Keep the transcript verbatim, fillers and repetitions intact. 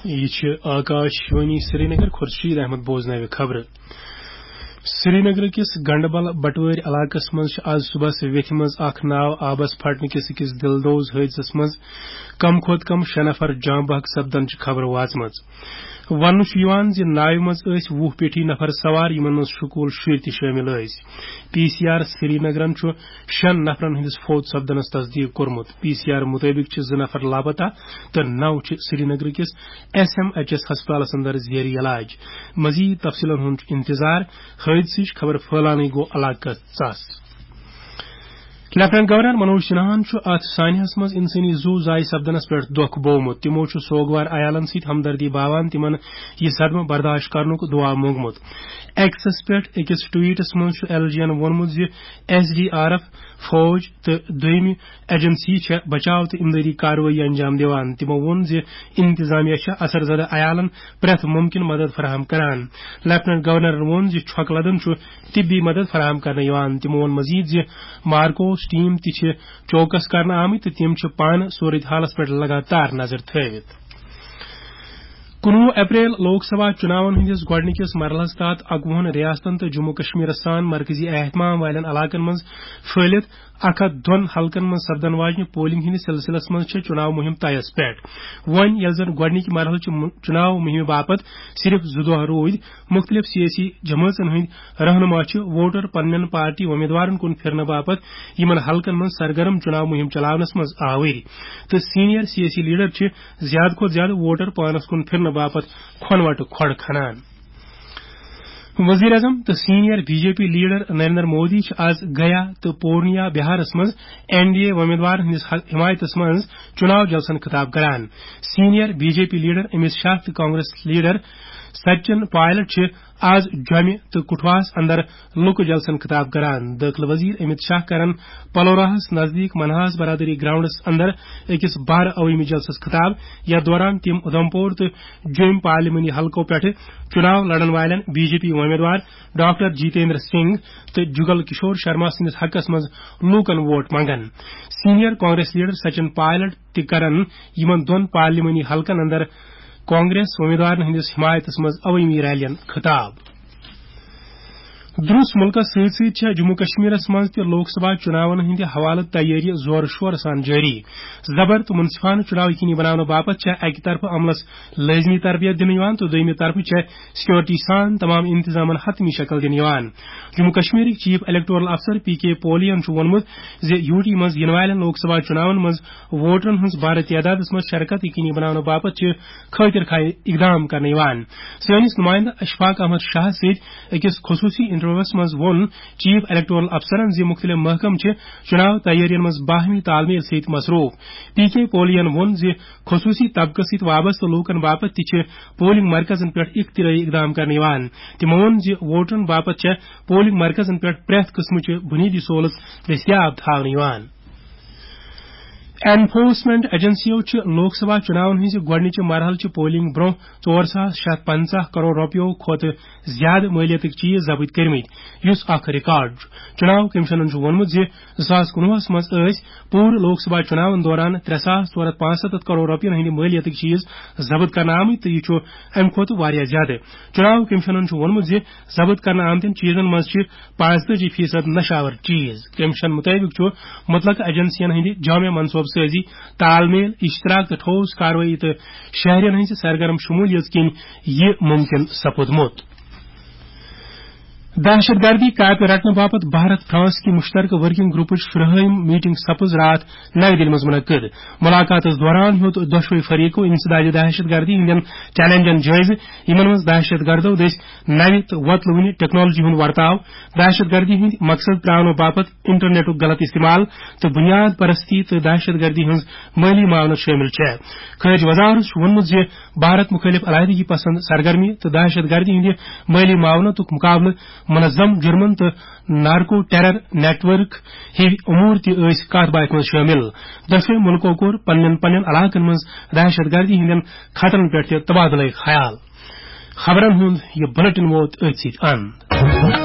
یہِ چھِ آکاش وانی سرینگر، خورشید احمد بوزناوِ خبرٕ۔ سرینگر کِس گنڈبل بٹوٲرۍ علاقس منٛز چھِ آز صبحس ویتھِ منٛز اکھ ناو آبس پھٹنہٕ کِس أکِس دِلدوز حٲدثس منٛز کم کھۄتہٕ کم شےٚ نفر جاں بحق سپدنٕچ خبر وٲژمٕژ۔ وننہٕ چھُ یِوان زِ ناوِ منٛز ٲسۍ وُہ پیٹھی نفر سوار، یِمن منٛز سکوٗل شُرۍ تہِ شٲمِل ٲسۍ۔ پی سی آر سرینگرن چھُ شٮ۪ن نفرن ہٕنٛدِس فوت سپدنس تصدیق کوٚرمُت۔ پی سی آر مُطٲبِق چھِ زٕ نفر لاپتہ تہٕ نَو چھِ سرینگر کِس ایس ایم ایچ ایس ہسپتالس اندر زیر علاج۔ مزید تفصیلن ہُنٛد چھُ انتظار۔ حٲدثٕچ خبر پھٔہلاونٕے گوٚو علاقس ژس۔ لیفٹیننٹ گورنر منوج سنہاہن چھُ اتھ سانحس منٛز انسٲنی زُو ضایع سپدنس پٮ۪ٹھ دۄکھ بوومُت۔ تِمو چھُ سوگوار عیالن سۭتۍ ہمدردی باوان تِمن یہِ صدمہٕ برداشت کرنُک دُعا مونگمُت۔ ایکسس پٮ۪ٹھ أکِس ٹویٹس منٛز چھُ ایل جی ین ووٚنمُت زِ ایس ڈی آر ایف، فوج تہٕ دوٚیمہِ ایجنسی چھےٚ بچاو تہٕ امدادی کاروٲیی انجام دِوان۔ تِمو ووٚن زِ انتظامیہ چھےٚ اثر زدہ عیالن پرٛٮ۪تھ ممکن مدد فراہم کران۔ لیفٹیننٹ گورنرن ووٚن زِ چھۄکہٕ لدن چھُ طبی مدد فراہم کرنہٕ یِوان۔ تِمو ووٚن مزید زِ مارکوس ٹیم تہِ چھِ چوکس کرنہٕ آمٕتۍ تہٕ تِم چھِ پانہٕ صورت حالس پٮ۪ٹھ لگاتار نظر تھٲوِتھ۔ کُنوُہ اپریل لوک سبھا چُناون ہٕنٛدِس گۄڈٕنِکِس مرحلس تحت اَکوُہن ریاستن تہٕ جموں کشمیرس سان مرکزی اہتمام والٮ۪ن علاقن منٛز پھٔہلِتھ اکھ ہتھ دۄن حلقن منٛز سپدن واجنہِ پولنگ ہٕنٛدِس سلسلس منٛز چھِ چُناو مُہِم طیس پٮ۪ٹھ۔ وۄنۍ ییٚلہِ زن گۄڈٕنِکۍ مرحلہٕ چہِ مُ-، چُناو مُہِمہِ باپتھ صرف زٕ دۄہ روٗدۍ، مُختٔلِف سیٲسی جمٲژن ہٕنٛدۍ رہنُما چھِ ووٹر پننٮ۪ن پارٹی اُمیدوارن کُن پھِرنہٕ باپتھ یِمن حلقن منٛز سرگرم چُناو مُہِم چلاونس منٛز آوٕرۍ، تہٕ سینئر سیٲسی لیڈر چھِ زیادٕ کھۄتہٕ زیادٕ ووٹر پانس کُن پھِرنہٕ باپتھ کھۄنوٹہٕ کھۄڑ کھنان۔ وزیر اعظم تہٕ senior B J P leader Narendra Modi چھِ آز گیا تہٕ پورنیا بہارس منٛز این ڈی اے امیدوارن ہٕنٛدِس حل-، حمایتس منٛز چُناو جلسن خطاب کران۔ Senior B J P leader Amit Shah تہٕ کانگریس لیڈر سچن پائلٹ چھِ آز جومہِ تہٕ کٹھواہس اندر لوکہٕ جلسن خطاب کران۔ دٲخلہٕ وزیر امیت شاہ کرن پلوراہس نزدیک منہاس برادری گراؤنڈس اندر أکِس بار عوٲمی جلسس خطاب، یتھ دوران تِم اُدھمپور تہٕ جوٚم پارلیمانی حلقو پٮ۪ٹھٕ چُناو لڑن والٮ۪ن بی جے پی امیدوار ڈاکٹر جیتیندر سنگھ تہٕ جگل کشور شرما سٕنٛدِس حقس منٛز لوٗکن ووٹ منٛگن۔ سینئر کانگریس لیڈر سچن پائلٹ تہِ کرن یِمن دۄن پارلیمانی حلقن اندر کانگریس امیدوارن ہٕنٛدِس حمایتس منٛز عوٲمی ریلین خطاب۔ درُس مُلکس سۭتۍ سۭتۍ چھےٚ جموں کشمیرس منٛز تہِ لوک سبھا چُناون ہٕنٛدِ حوالہٕ تیٲری زورٕ شورٕ سان جٲری۔ زبر تہٕ منصفانہٕ چُناو یقینی بناونہٕ باپتھ چھےٚ اکہِ طرفہٕ عملس لٲزمی تربیت دِنہٕ یِوان تہٕ دوٚیمہِ طرفہٕ چھےٚ سیکورٹی سان تمام انتظامن حتمی شکل دِنہٕ یِوان۔ جموں کشمیرٕکۍ چیف الیکٹورل افسر پی کے پولین چھُ ووٚنمُت زِ یوٗ ٹی منٛز یِنہٕ والٮ۪ن لوک سبھا چُناون منٛز ووٹرن ہٕنٛز بارٕ تعدادس منٛز شرکت یقینی بناونہٕ باپتھ چھِ خٲطر خواہ اقدام کرنہٕ یِوان۔ سٲنِس نُمٲیندٕ اشفاق احمد شاہ سۭتۍ أکِس خصوٗصی انٹرویوَس منٛز ووٚن چیف الیکٹورل افسرن زِ مُختٔلِف محکمہٕ چھِ چُناو تیٲرین منٛز باہمی تال میل سۭتۍ مصروٗف۔ پی کے پولین ووٚن زِ خصوٗصی طبقس سۭتۍ وابستہٕ لوٗکن باپتھ تہِ چھِ پولنگ مرکزن پٮ۪ٹھ اختراعی اقدام کرنہٕ یِوان۔ تِمو ووٚن زِ ووٹرن باپتھ چھےٚ پولنگ مرکزن پٮ۪ٹھ پرٛٮ۪تھ قٕسمٕچہِ بُنیٲدی سہوٗلژ دٔستیاب تھاونہٕ یِوان۔ انفورسمنٹ ایجنسیو چھِ لوک سبھا چُناون ہٕنٛزِ گۄڈٕنِچہِ مرحلہٕ چہِ پولنگ برٛونٛہہ ژور ساس شےٚ ہتھ پنژاہ کرور رۄپیو کھۄتہٕ زیادٕ مٲلیتٕکۍ چیٖز ضبط کٔرمٕتۍ، یُس اکھ ریکارڈ چھُ۔ چُناو کٔمِشنن چھُ ووٚنمُت زِ زٕ ساس کُنوُہس منٛز ٲسۍ پوٗرٕ لوک سبھا چُناون دوران ترٛےٚ ساس ژور ہتھ پانٛژھ ستتھ کرور رۄپین ہٕنٛدۍ مٲلیتٕکۍ چیٖز ضبط کرنہٕ آمٕتۍ تہٕ یہِ چھُ اَمہِ کھۄتہٕ واریاہ زیادٕ۔ چُناو کٔمِشنن چھُ ووٚنمُت زِ ضبط کرنہٕ آمتٮ۪ن چیٖزن منٛز چھِ پانٛژتٲجی فیصد نشہٕ آور چیٖز۔ کٔمِشن مُطٲبِق چھُ مُتلقہٕ ایجنسین ہٕنٛدِ جامع منصوبہٕ سٲزی، تال میل، اشتراک تہٕ ٹھوس کاروٲیی تہٕ شہرین ہٕنٛزِ سرگرم شمولیت کِنۍ یہِ مُمکِن سپُدمُت۔ دہشت گردی کاپہِ رٹنہٕ باپتھ بھارت فرانس کہِ مشترکہ ورکنگ گروپٕچ شُرہٲیِم میٹنگ سپٕز راتھ نَوِ دِلہِ منٛز منعقد۔ ملاقاتس دوران ہیوٚت دۄشوے فریقو انسداد دہشت گردی ہٕنٛدٮ۪ن چیلنجن جٲیزٕ، یِمن منٛز دہشت گردو دٔسۍ نوِ تہٕ وۄتلہٕ وُنہِ ٹیکنالوجی ہُنٛد ورتاو، دہشت گردی ہٕنٛدۍ مقصد ترٛاونہٕ باپتھ انٹرنیٹُک غلط استعمال تہٕ بنیاد پرستی تہٕ دہشت گردی ہٕنٛز مٲلی معاونت شٲمِل چھےٚ۔ خارجہ وزارت چھُ ووٚنمُت زِ بھارت مُخٲلف علیحدگی پسند سرگرمی تہٕ دہشت گردی ہٕنٛدِ مٲلی معاونتُک مقابلہٕ، منظم جرمن تہٕ نارکو ٹیرر نیٹ ورک ہِوۍ امور تہِ ٲسۍ کتھ باتھِ منٛز شٲمِل۔ دۄشوے مُلکو کوٚر پننٮ۪ن پننٮ۪ن علاقن منٛز دہشت گردی ہٕنٛدٮ۪ن خطرن پٮ۪ٹھ تہِ تبادلہٕ خیال۔ خبرن ہُنٛد یہِ بلیٹن ووت أتھۍ سۭتۍ اند۔